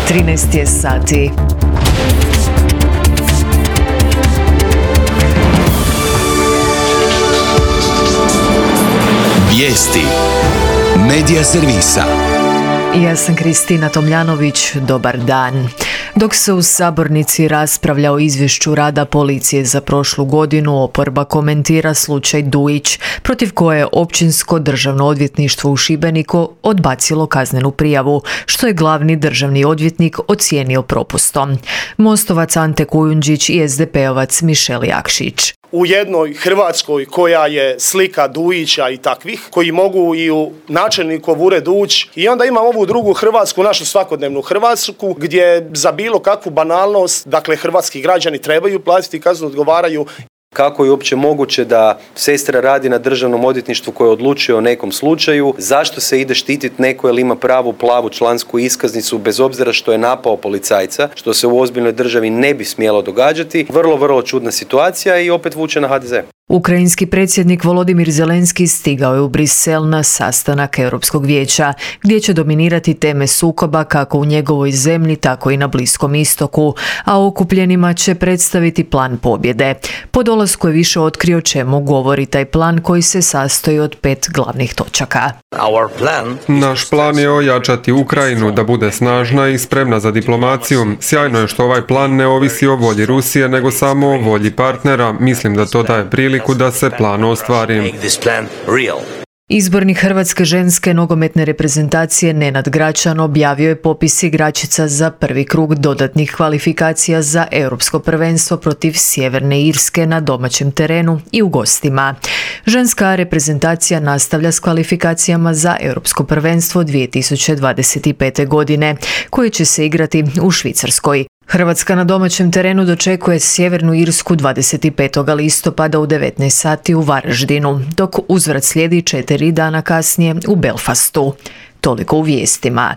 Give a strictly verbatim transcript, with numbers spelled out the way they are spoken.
trinaest je sati. Vijesti Medija servisa. Ja sam Kristina Tomljanović, dobar dan. Dok se u sabornici raspravlja o izvješću rada policije za prošlu godinu, oporba komentira slučaj Dujić, protiv koje je Općinsko državno odvjetništvo u Šibeniku odbacilo kaznenu prijavu, što je glavni državni odvjetnik ocijenio propustom. Mostovac Ante Kujundžić i es de pe ovac Mišel Jakšić. U jednoj Hrvatskoj koja je slika Dujića i takvih, koji mogu i u načelnikov ured ući, i onda imamo ovu drugu Hrvatsku, našu svakodnevnu Hrvatsku, gdje za bilo kakvu banalnost, dakle, hrvatski građani trebaju platiti kaznu, odgovaraju. Kako je uopće moguće da sestra radi na državnom odvjetništvu koje odlučuje o nekom slučaju? Zašto se ide štititi neko jer ima pravu plavu člansku iskaznicu bez obzira što je napao policajca, što se u ozbiljnoj državi ne bi smjelo događati? Vrlo, vrlo čudna situacija i opet vuče na ha de ze. Ukrajinski predsjednik Volodimir Zelenski stigao je u Brisel na sastanak Europskog vijeća, gdje će dominirati teme sukoba kako u njegovoj zemlji, tako i na Bliskom istoku, a okupljenima će predstaviti plan pobjede. Po dolasku je više otkrio čemu govori taj plan koji se sastoji od pet glavnih točaka. Naš plan je ojačati Ukrajinu da bude snažna i spremna za diplomaciju. Sjajno je što ovaj plan ne ovisi o volji Rusije, nego samo o volji partnera. Mislim da to daje priliku da se plan ostvari. Izbornik Hrvatske ženske nogometne reprezentacije Nenad Gračan objavio je popis igračica za prvi krug dodatnih kvalifikacija za Europsko prvenstvo protiv Sjeverne Irske na domaćem terenu i u gostima. Ženska reprezentacija nastavlja s kvalifikacijama za Europsko prvenstvo dvije tisuće dvadeset pete. godine, koje će se igrati u Švicarskoj. Hrvatska na domaćem terenu dočekuje Sjevernu Irsku dvadeset petog listopada u devetnaest sati u Varaždinu, dok uzvrat slijedi četiri dana kasnije u Belfastu. Toliko u vijestima.